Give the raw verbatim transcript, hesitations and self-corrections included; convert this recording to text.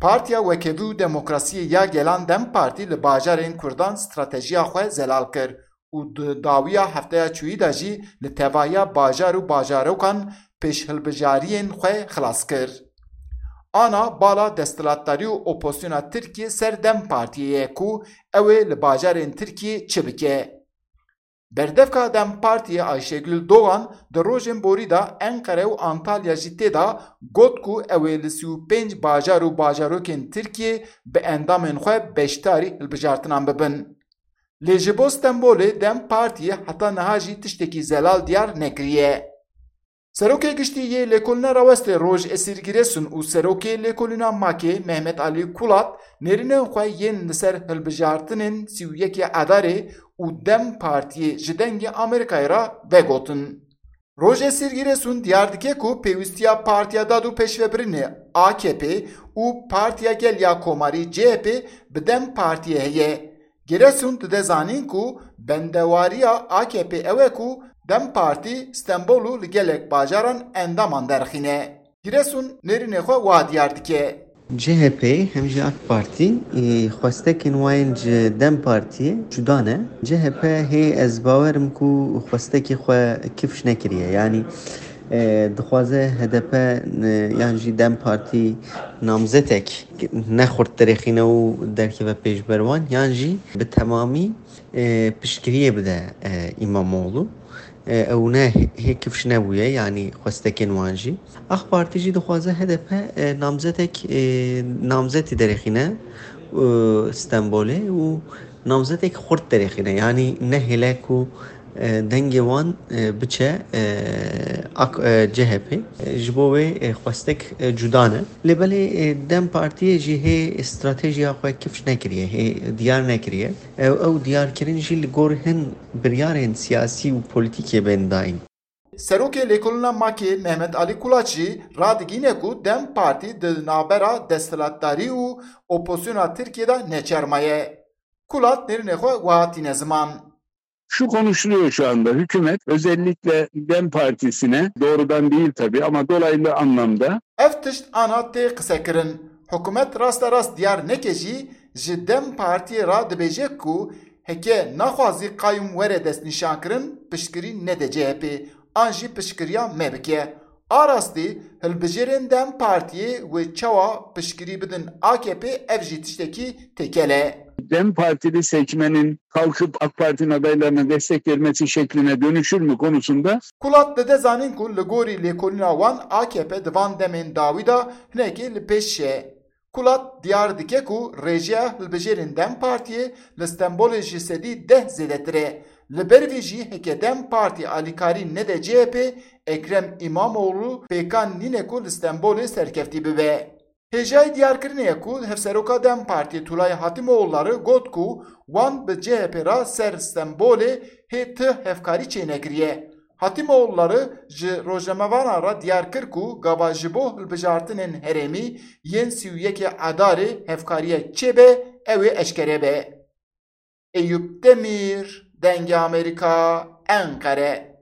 Partiya Wekevî û Demokrasiyê ya Gelan DEM Partî li bajarên Kurdan stratejiya xwe zelal kir û di dawiya hefteya çûyî de jî li tevahiya bajar û bajarokan pêşhilbijariyên xwe xilas kir. Ana bala desthilatdarî û opozisyona Tirkiyê ser DEM Partiyê ye ku ew ê li bajarên Tirkiyê çi bike. Berdevka DEM Partiyê Ayşegül Doğan di rojên borî de Enqere û Antalya jî tê de got ku ew ê li sî û pênc bajar û bajarokên Tirkiyê bi endamên xwe beşdarî hilbijartinan bibin. Lê ji bo Stenbolê DEM Partiyê heta niha jî tiştekî zelal diyar nekiriye. Serokê Giştî yê Lêkolîna Rawestê Roj Esîr Giresun û Serokê Lêkolîna Makê Mehmet Alî Kulat nêrînên xwe yên li ser hilbijartinên sî û yekê Edarê û DEM Partiyê ji Dengê Amerîkayê re vegotin. Roj Esîr Giresun diyar dike ku pêwîstiya Partiya Dad û Pêşvebirinê, A K P, û Partiya Gel ya Komarî, C H P, bi DEM Partiyê heye. Giresun dide zanîn ku bendewariya A K P ew e ku DEM Partî Stenbol û li gelek bajaran endaman derxîne. Giresun nêrînê xwe wa diyar dike. C H P hem jî A K Partî, e, xwestekên wa yên ji DEM Partiyê cuda ne. C H P hê ez bawerim ku xwestekê xwe kifş nekiriye. Yanî, e, dixwaze H D P, e, yan jî DEM Partî namzetek ne xurt derêxîne û derkeve pêşber wan, yan jî bi temamî, e, piştgiriyê bide, e, Îmamoğlu. E, ew ne hê kifş nebûye, yanî xwestekên wan jî. A K Partî jî dixwaze H D P, e, namzetek, e, namzetî derêxîne, e, Stenbolê û namzetek xurt derêxîne. Yanî nehêle ku, e, dengê wan, e, biçe, e, A K, e, C H P. E, ji bo wê, e, xwestek, e, cuda ne. Lê belê, e, DEM Partiyê jî hê stratejiya xwe kifş nekiriye, hê diyar nekiriye. Ew, ew diyarkirin jî li gor hin biryarên siyasî û polîtîkê bên dayîn. Serokê Lêkolîna Makê Mehmet Alî Kulat jî radigihîne ku DEM Partî di navbera desthilatdarî û opozisyona Tirkiyê de neçermaye. Kulat nêrînê xwe wiha tîne ziman. Şu konuşuluyor şu anda. Hükümet özellikle DEM Partisi'ne, doğrudan değil tabii ama dolaylı anlamda, Ev tişt ana tê qisekirin. Hikûmet rasterast diyar neke jî ji DEM Partiyê re dibêje ku heke naxwazî qayûm were destnîşankirin, piştgirî nede C H P an jî piştgiriya me bike. A rastî, hilbijêrên DEM Partiyê wê çawa piştgirî bidin A K P, ev jî tiştekî têkel e. DEM Partili seçmenin kalkıp A K Parti'nin adaylarına destek vermesi şekline dönüşür mü konusunda Kulat dide zanîn ku li gorî lêkolîna wan A K P di van demên dawî de hinekî li pêş e. Kulat diyar dike ku rêjeya hilbijêrên DEM Partiyê li Stenbolê ji sedî deh zêdetir e. Li ber vî jî heke DEM Partî alîkarî nede C H P, Ekrem Îmamoğlu pêkan nîne ku li Stenbolê serkeftî bibe. Hêjayî diyarkirinê ye ku Hevseroka DEM Partiyê Tulay Hatîmoğulları got ku wan bi C H P re ser Stenbolê hê ti hevkarî çênekiriye. Hatîmoğulları ji rojnamevanan re diyar kir ku gava ji bo hilbijartinên herêmî yên sî û yekê Edarê hevkariyek çêbe, ew ê eşkere be. Eyûp Demîr, Dengê Amerîka, Enqere.